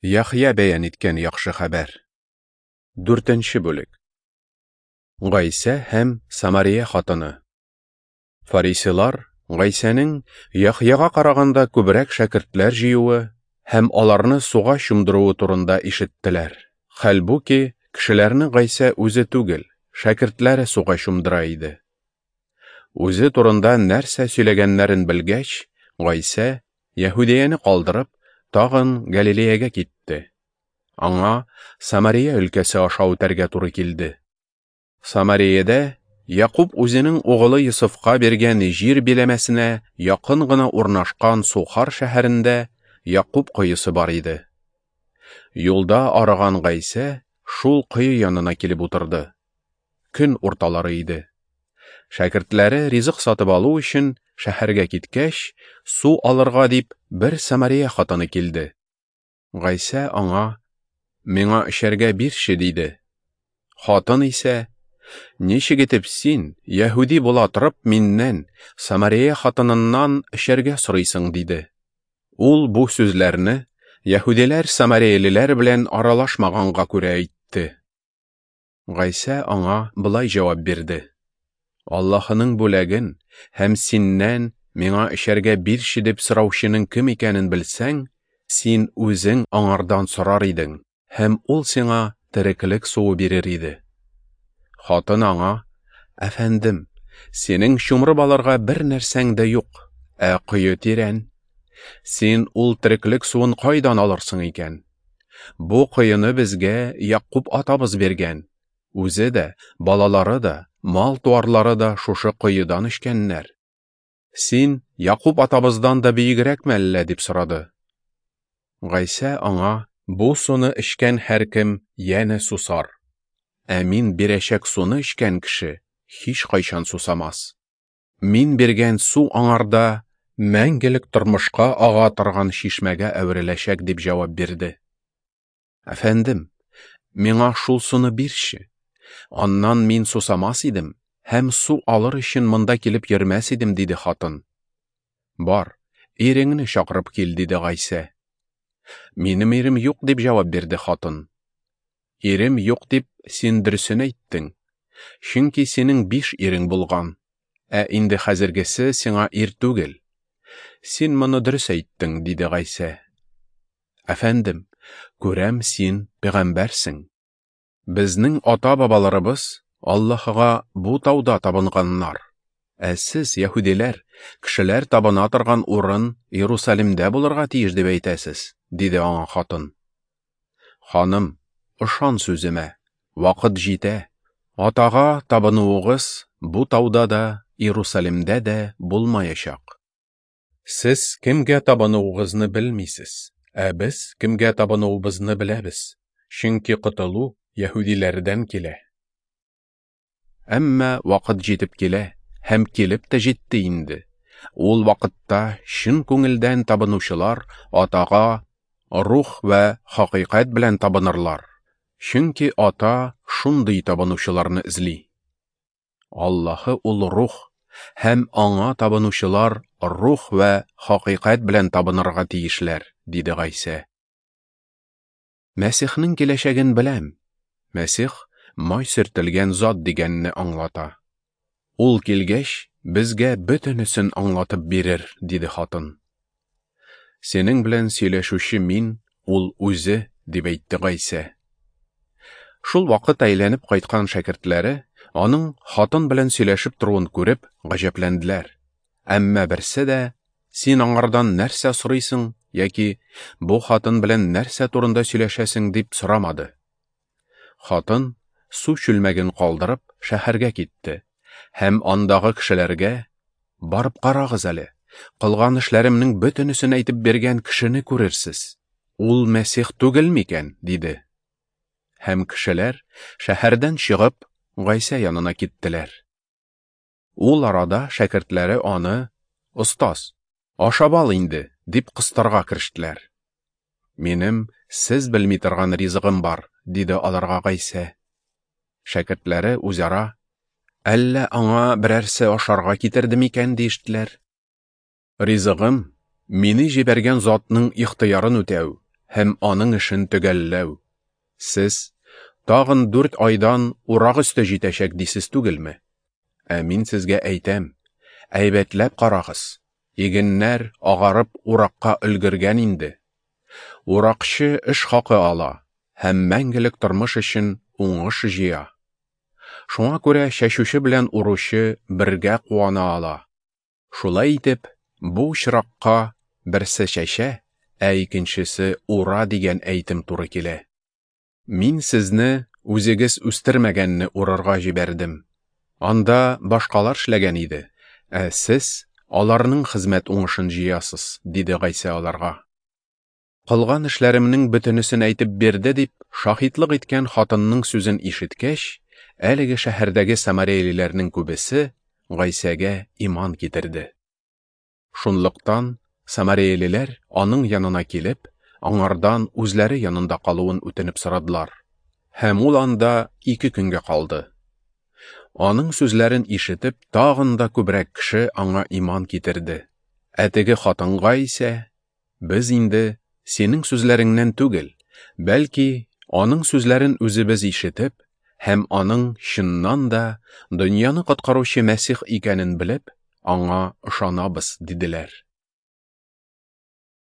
Яхъя бәян иткән яхшы хәбәр. Дүртенче бүлек. Гайсә һәм Самария хатыны. Фарисейлар Гайсәнең Яхъяга караганда күбрәк шәкертләр җыюы һәм аларны суга чумдыруы турында ишеттеләр. Хәлбуки, кешеләрне Гайсә үзе түгел, шәкертләре суга чумдыра иде. Үзе турында нәрсә сөйләгәннәрен белгәч, Гайсә, Яһүдияне калдырып, тагын Галилеягә китте. Аңа Самария өлкәсе аша үтәргә туры килде. Самариядә Якуб үзенең угылы Йосыфка биргән җир биләмәсенә якын гына урнашкан Сухар шәһәрендә Якуб коесы бар иде. Юлда арыган Гайсә шул кое янына килеп утырды. Көн урталары иде. Шәкертләре ризык сатып алу өчен шәһәргә киткәч, су алырга дип бер Самария хатыны килде. Гайсә аңа: "Миңа эчәргә бирче", диде. Хатын исә: "Ничек итеп син, яһүди була торып, миннән, Самария хатыныннан эчәргә сорыйсың?" диде. Ул бу сүзләрне яһүдиләр самариялеләр белән аралашмаганга күрә әйтте. Гайсә аңа болай җавап бирде: Аллаһының бүләген һәм синнән миңа эчәргә бирче дип сораучының кем икәнен белсәң, син үзең аңардан сорар идең, һәм ул сиңа тереклек суы бирер иде. Хатын аңа: Әфәндем, синең чумырып алырга бер нәрсәң дә юк, ә кое тирән. Син ул тереклек суын кайдан алырсың икән? Бу коены безгә Якуб атабыз биргән. Үзе дә, балалары да, мал-туарлары да шушы коедан эчкәннәр. Син Якуб атабыздан да бөегрәкме әллә? дип сорады. Гайсә аңа: Бу суны эчкән һәркем янә сусар. Ә мин бирәчәк суны эчкән кеше һич кайчан сусамас. Мин биргән су аңарда мәңгелек тормышка ага торган чишмәгә әвереләчәк, дип җавап бирде. Әфәндем, миңа шул суны бирче. Аннан мин сусамас идем һәм су алыр өчен монда килеп йөрмәс идем, диде хатын. Бар, иреңне чакырып кил, диде Гайсә. Минем ирем юк, дип җавап бирде хатын. Ирем юк дип син дөресен әйттең. Чөнки синең 5 ирең булган, ә инде хәзергесе сиңа ир түгел. Син моны дөрес әйттең, диде Гайсә. Әфәндем, күрәм, син пәйгамбәрсең. Безнең ата-бабаларыбыз Аллаһыга бу тауда табынганнар. Ә сез, яһүдиләр, кешеләр табына торган урын Иерусалимдә булырга тиеш дип әйтәсез, диде аңа хатын. Ханым, ышан сүземә, вакыт җитә. Атага табынуыгыз бу тауда да, Иерусалимдә дә булмаячак. Сез кемгә табынуыгызны белмисез, ә без кемгә табынуыбызны беләбез, чөнки котылу яһүдиләрдән килә. Әмма вакыт җитеп килә һәм килеп тә җитте инде. Ул вакытта чын күңелдән табынучылар Атага рух вә хакыйкать белән табынырлар. Чөнки Ата шундый табынучыларны эзли. Аллаһы ул рух, һәм аңа табынучылар рух вә хакыйкать белән табынырга тиешләр, диде Гайсә. Мәсихнең киләчәген беләм. Мәсих май сөртелгән зат дигәнне аңлата. Ул килгәч, безгә бөтенесен аңлатып бирер, диде хатын. Синең белән сөйләшүче мин, ул үзе, дип әйтте Гайсә. Шул вакыт әйләнеп кайткан шәкертләре аның хатын белән сөйләшеп торуын күреп гаҗәпләнделәр. Әмма берсе дә: Син аңардан нәрсә сорыйсың яки бу хатын белән нәрсә турында сөйләшәсең дип сорамады. Хатын су чүлмәген калдырып шәһәргә китте һәм андагы кешеләргә: Барып карагыз әле, кылган эшләремнең бөтенесен әйтеп биргән кешене күрерсез. Ул Мәсих түгел микән? диде. Һәм кешеләр шәһәрдән чыгып Гайсә янына киттеләр. Ул арада шәкертләре аны: Остаз, ашап ал инде, дип кыстарга керештеләр. Минем сез белми торган ризыгым бар, диде аларга Гайсә. Шәкертләре үзара: Әллә аңа берәрсе ашарга китерде микән, диештеләр. Ризыгым мине җибәргән затның ихтыярын үтәү һәм аның эшен төгәлләү. Сез, тагын 4 айдан урак өсте җитәчәк дисез түгелме? Ә мин сезгә әйтәм, әйбәтләп карагыз, игеннәр агарып уракка өлгергән инде. Уракчы эш хакы ала һәм мәңгелек тормыш өчен уңыш җыя. Шуңа күрә чәчүче белән уручы бергә куана ала. Шулай итеп, бу очракка берсе чәчә, ә икенчесе ура дигән әйтем туры килә. Мин сезне үзегез үстермәгәнне урырга җибәрдем. Анда башкалар эшләгән иде, ә сез аларның хезмәт уңышын җыясыз, диде Гайсә аларга. Кылган эшләремнең бөтенесен әйтеп бирде дип, шаһитлык иткән хатынның сүзен ишеткәч, әлеге шәһәрдәге самареялеләрнең күбесе Гайсәгә иман китерде. Шунлыктан самареялеләр аның янына килеп, аңардан үзләре янында калуын үтенеп сорадылар. Һәм ул анда 2 көнгә калды. Аның сүзләрен ишетеп, тагын да күбрәк кеше аңа иман китерде. Ә теге хатынга исә, без инде синең сүзләреңнән түгел, бәлки аның сүзләрен үзебез ишетеп һәм аның чыннан да дөньяны коткаручы Мәсих икәнен белеп, аңа ышанабыз, диделәр.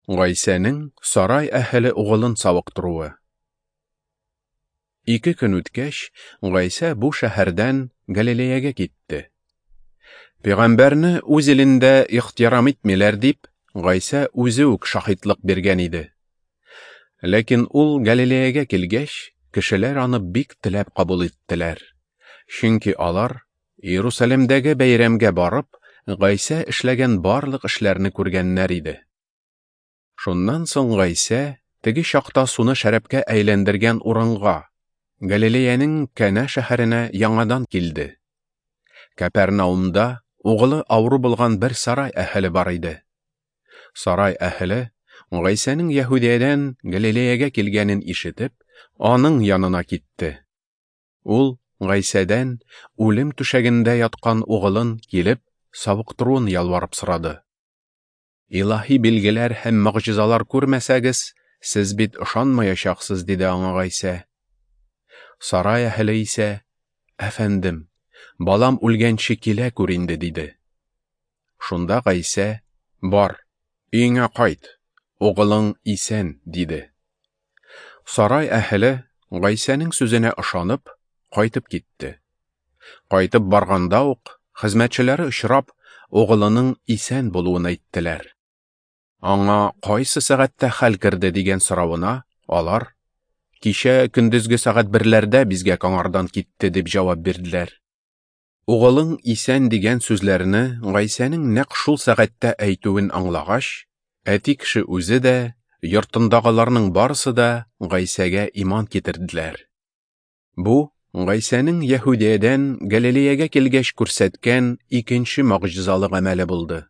Гайсәнең сарай әһеле угылын савыктыруы. 2 көн үткәч, Гайсә бу шәһәрдән Галилеягә китте. Пәйгамбәрне үз илендә ихтирам итмиләр дип, Гайсә үзе үк шаһитлык биргән иде. Ләкин ул Галилеягә килгәч, кешеләр аны бик теләп кабул иттеләр. Чөнки алар Иерусалимдәге бәйрәмгә барып, Гайсә эшләгән барлык эшләрне күргәннәр иде. Шуннан соң Гайсә теге чакта суны шәрабкә әйләндергән урынга, Галилеянең Кәнә шәһәренә яңадан килде. Кәпәрнаумда угылы авыру булган бер сарай әһеле бар иде. Сарай әһеле Гайсәнең Яһүдиядән Галилеягә килгәнен ишетеп, аның янына китте. Ул Гайсәдән үлем түшәгендә яткан угылын килеп савыктыруын ялварып сорады. Илаһи билгеләр һәм могҗизалар күрмәсәгез, сез бит ышанмаячаксыз, диде аңа Гайсә. Сарай әһеле исә, Әфәндем, балам үлгәнче килә күр инде, диде. Шунда Гайсә, Бар, өеңә кайт, угылың исән, диде. Сарай әһеле Гайсәнең сүзенә ышанып, кайтып китте. Кайтып барганда ук хезмәтчеләре очрап, угылының исән булуын әйттеләр. Аңа кайсы сәгатьтә хәл керде дигән соравына алар, Кичә көндезге сәгать 1-ләрдә бизгәк аңардан китте, дип җавап бирделәр. Угылың исән дигән сүзләрне Гайсәнең нәкъ шул сәгатьтә әйтүен аңлагач, әти кеше үзе дә, йортындагыларның барысы да Гайсәгә иман китерделәр. Бу Гайсәнең Яһүдиядән Галилеягә килгәч күрсәткән икенче могҗизалы гамәле булды.